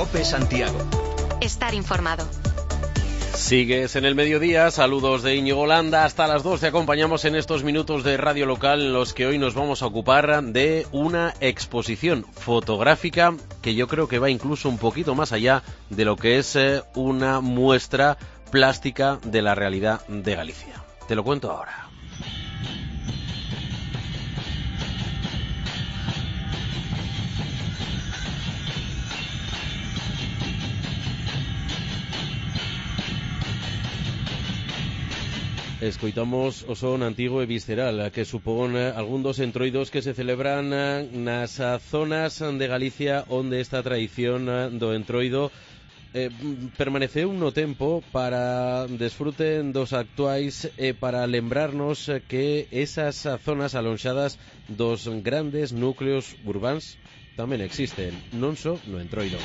COPE Santiago. Estar informado. Sigues en el mediodía, saludos de Íñigo Landa, hasta las 2 te acompañamos en estos minutos de radio local en los que hoy nos vamos a ocupar de una exposición fotográfica que yo creo que va incluso un poquito más allá de lo que es una muestra plástica de la realidad de Galicia. Te lo cuento ahora. Escoitamos o son antigo e visceral que supón algún dos entroidos que se celebran nas zonas de Galicia onde esta tradición do entroido permaneceu no tempo para desfruten dos actuais e para lembrarnos que esas zonas alonxadas dos grandes núcleos urbáns tamén existen, non só no entroido.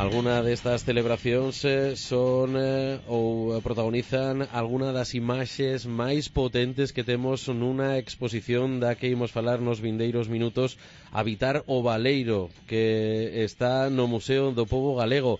Alguna destas celebracións son ou protagonizan alguna das imaxes máis potentes que temos nunha exposición da que imos falar nos vindeiros minutos, Habitar o Baleiro, que está no Museo do Pobo Galego,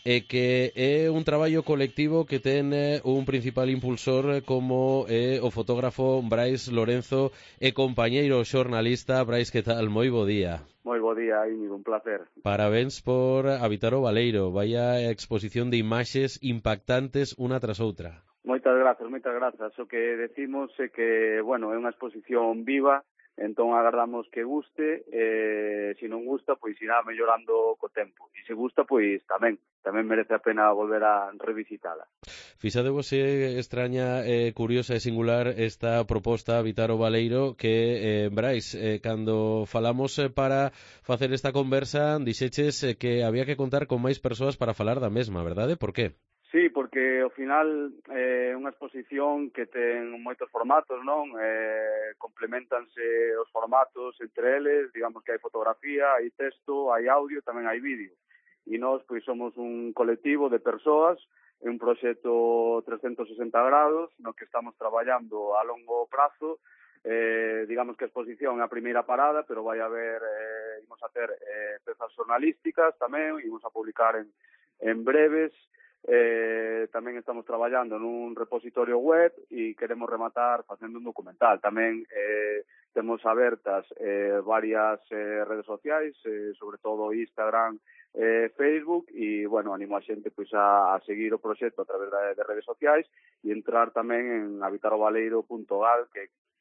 e que é un traballo colectivo que ten un principal impulsor como o fotógrafo Brais Lorenzo e compañeiro xornalista. Brais, que tal? Moi bo día. Moi bo día, Íñigo, un placer. Parabéns por Habitar o Baleiro, vaya exposición de imaxes impactantes unha tras outra. Moitas grazas. O que decimos é que, bueno, é unha exposición viva, entón agardamos que guste, se non gusta, pois irá mellorando co tempo. E se gusta, pois tamén merece a pena volver a revisitala. Fixadevos extraña, curiosa e singular esta proposta Habitar o Baleiro que, Brais, cando falamos para facer esta conversa, dixeches que había que contar con máis persoas para falar da mesma, verdade? Por qué? Sí, porque ao final é unha exposición que ten moitos formatos, non? Complementanse os formatos entre eles, digamos que hai fotografía, hai texto, hai audio, tamén hai vídeo. E nós, pois, somos un colectivo de persoas, un proxecto 360 grados, no que estamos traballando a longo prazo. Digamos que a exposición é a primeira parada, pero vai haber, imos a ter pezas xornalísticas tamén, imos a publicar en breves. Tamén estamos traballando nun repositorio web e queremos rematar facendo un documental. Tamén temos abertas varias redes sociais, sobre todo Instagram, Facebook, e, bueno, animo a xente pois a seguir o proxecto a través de redes sociais e entrar tamén en habitarovaleiro.gal,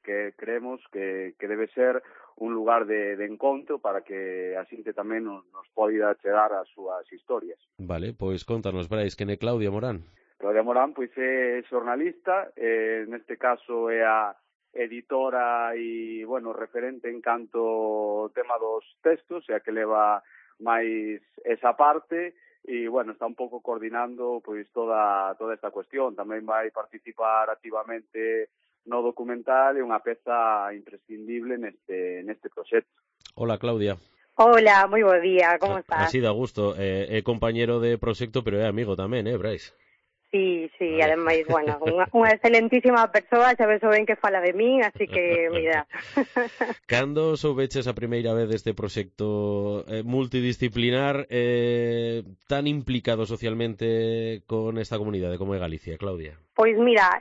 que creemos que debe ser un lugar de encontro para que a xente tamén nos poida chegar as súas historias. Vale, pois contanos, Brais, quen é Claudia Morán? Claudia Morán, pois, é xornalista, neste caso é a editora e, bueno, referente en canto tema dos textos, e a que leva máis esa parte, e, bueno, está un pouco coordinando pois toda esta cuestión. Tamén vai participar activamente no documental, é unha peza imprescindible neste proxecto. Hola, Claudia. Hola, moi bo día, como estás? Así dá gusto, é compañero de proxecto, pero é amigo tamén, Brais? Sí, ademais, bueno, unha excelentísima persoa, xa ves ben que fala de min, así que, mira. Cando soubeches a primeira vez deste proxecto multidisciplinar tan implicado socialmente con esta comunidade como é Galicia, Claudia? Pois mira,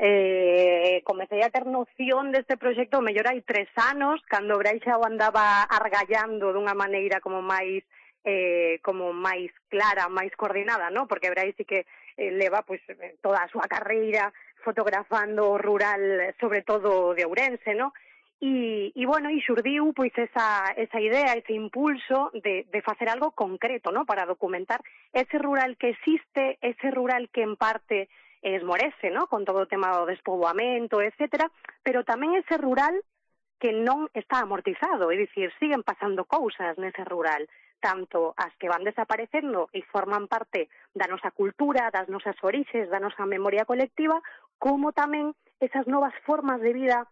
comecei a ter noción deste proxecto mellor hai 3 anos, cando Brais xa o andaba argallando dunha maneira como máis clara, máis coordinada, ¿no? Porque Brais sí que leva pois toda a súa carreira fotografando o rural, sobre todo de Ourense, ¿no? E bueno, e xurdiu pois esa idea, ese impulso de facer algo concreto, ¿no? Para documentar ese rural que existe, ese rural que en parte esmorece, ¿no? Con todo o tema do despoboamento, etcétera, pero tamén ese rural que non está amortizado, é dicir, siguen pasando cousas nese rural, tanto as que van desaparecendo e forman parte da nosa cultura, das nosas orixes, da nosa memoria colectiva, como tamén esas novas formas de vida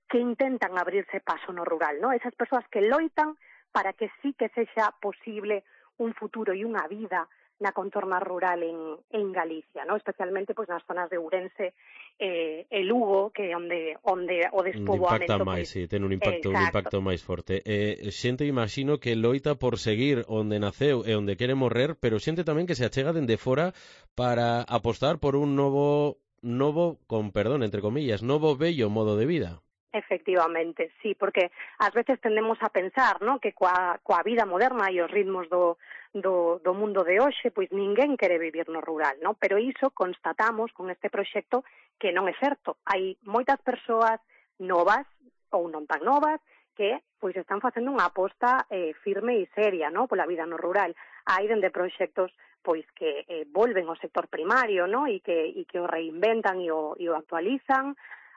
que intentan abrirse paso no rural, ¿no? Esas persoas que loitan para que sí que sexa posible un futuro e unha vida na contorna rural en Galicia, ¿no? Especialmente pois nas zonas de Ourense e Lugo, que é onde o despoboamento... Impacta máis, sí, ten un impacto máis forte. Xente, imagino, que loita por seguir onde naceu e onde quere morrer, pero xente tamén que se achega dende fora para apostar por un novo, con perdón, entre comillas, novo bello modo de vida. Efectivamente, sí, porque ás veces tendemos a pensar, ¿no?, que coa vida moderna e os ritmos do mundo de hoxe, pois ninguén quere vivir no rural, ¿no? Pero iso constatamos con este proxecto que non é certo. Hai moitas persoas novas ou non tan novas que pois están facendo unha aposta firme e seria, ¿no?, pola vida no rural. Hai dende proxectos pois que volven ao sector primario, ¿no?, e que o reinventan e o actualizan.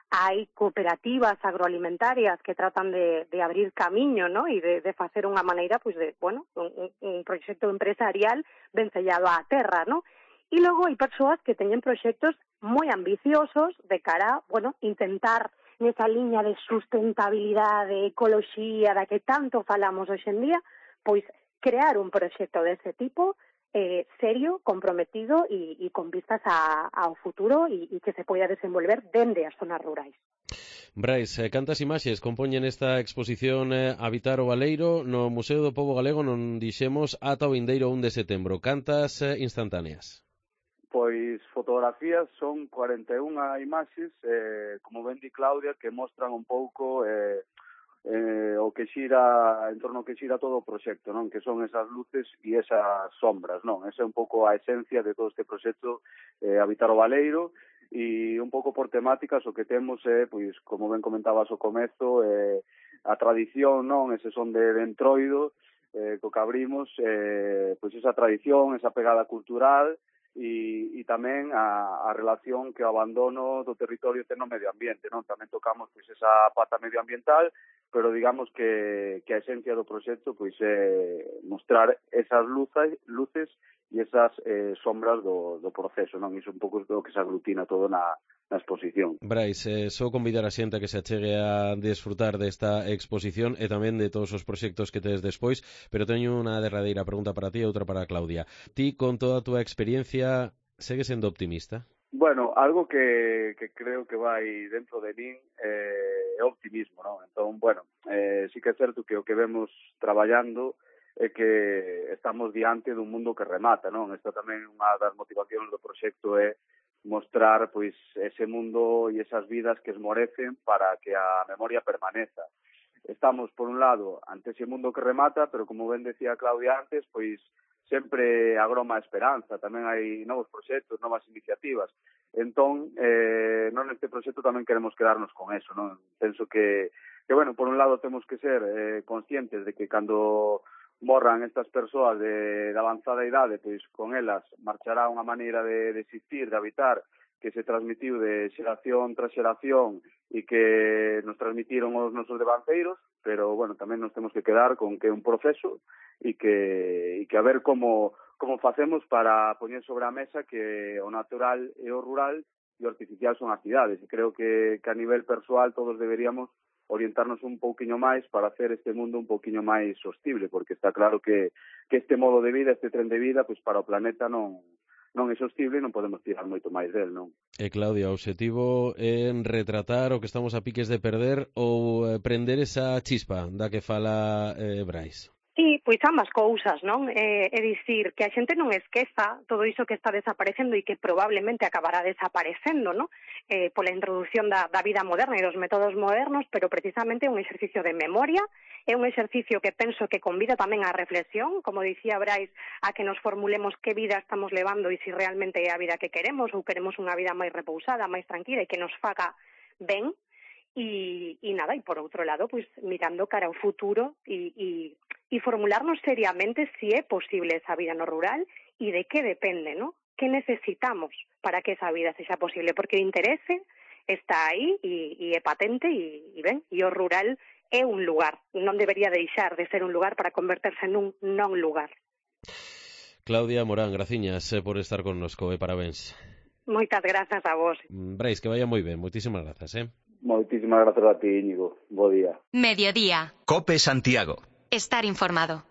Hai cooperativas agroalimentarias que tratan de abrir camiño, ¿no?, e de facer unha maneira, pois, de, bueno, un proxecto empresarial vencellado á terra, ¿no? E logo hai persoas que teñen proxectos moi ambiciosos de cara, bueno, intentar nesa liña de sustentabilidade, ecoloxía, da que tanto falamos hoxe en día, pois crear un proxecto dese tipo serio, comprometido e con vistas ao futuro e que se poida desenvolver dende as zonas rurais. Brais, cantas imaxes compoñen esta exposición Habitar o Baleiro no Museo do Pobo Galego, non dixemos ata o vindeiro 1 de setembro. Cantas instantáneas? Pois fotografías son 41 imaxes, como ben di Claudia, que mostran un pouco o que xira, en torno ao que xira todo o proxecto, non? Que son esas luces e esas sombras, non? Esa é un pouco a esencia de todo este proxecto Habitar o Baleiro, e un pouco por temáticas o que temos é, pois, como ben comentabas ao comezo, a tradición, non? Ese son de Entroido, co que abrimos, pois esa tradición, esa pegada cultural, e tamén a relación que o abandono do territorio ten no medio ambiente, non? Tamén tocamos pois esa pata medioambiental, pero digamos que a esencia do proxecto pois é mostrar esas luces e esas sombras do proceso, non? Iso un pouco do que se aglutina todo na exposición. Brais, só convidar a xente a que se achegue a desfrutar desta exposición e tamén de todos os proxectos que tedes despois, pero teño unha derradeira pregunta para ti e outra para Claudia. Ti, con toda a túa experiencia, segues sendo optimista? Bueno, algo que creo que vai dentro de min é optimismo, non? Entón, bueno, sí que é certo que o que vemos traballando é que estamos diante dun mundo que remata, non? Esta tamén é unha das motivacións do proxecto, é mostrar pois ese mundo e esas vidas que esmorecen para que a memoria permaneza. Estamos, por un lado, ante ese mundo que remata, pero como ben decía Claudia antes, pois sempre agroma a esperanza, tamén hai novos proxectos, novas iniciativas. Entón, non neste proxecto tamén queremos quedarnos con eso, non? Penso que bueno, por un lado temos que ser conscientes de que cando morran estas persoas de avanzada idade, pois con elas marchará unha maneira de existir, de habitar, que se transmitiu de xeración tras xeración e que nos transmitiron os nosos devanceiros, pero, bueno, tamén nos temos que quedar con que é un proceso e que a ver como facemos para poñer sobre a mesa que o natural e o rural e o artificial son as cidades. E creo que a nivel persoal todos deberíamos orientarnos un pouquiño máis para hacer este mundo un pouquiño máis sostible, porque está claro que este modo de vida, este tren de vida, pois para o planeta non é sostible e non podemos tirar moito máis del, non? E Claudia, o obxectivo é retratar o que estamos a piques de perder ou prender esa chispa da que fala Brais? Sí, pois ambas cousas, non? É dicir, que a xente non esqueza todo iso que está desaparecendo e que probablemente acabará desaparecendo, non? Pola introducción da vida moderna e dos métodos modernos, pero precisamente é un exercicio de memoria, é un exercicio que penso que convida tamén á reflexión, como dicía Brais, a que nos formulemos que vida estamos levando e se realmente é a vida que queremos ou queremos unha vida máis repousada, máis tranquila e que nos faga ben. E nada, e por outro lado, pois mirando cara ao futuro e formularnos seriamente si é posible esa vida no rural e de que depende, ¿no? Que necesitamos para que esa vida sexa posible, porque o interese está aí e é patente e ben, e o rural é un lugar, non debería deixar de ser un lugar para converterse nun non lugar. Claudia Morán, graciñas por estar connosco e parabéns. Moitas grazas a vos. Brais, que vaya moi ben, moitísimas grazas, Moitísimas grazas a ti, Íñigo. Bo día. Mediodía. COPE Santiago. Estar informado.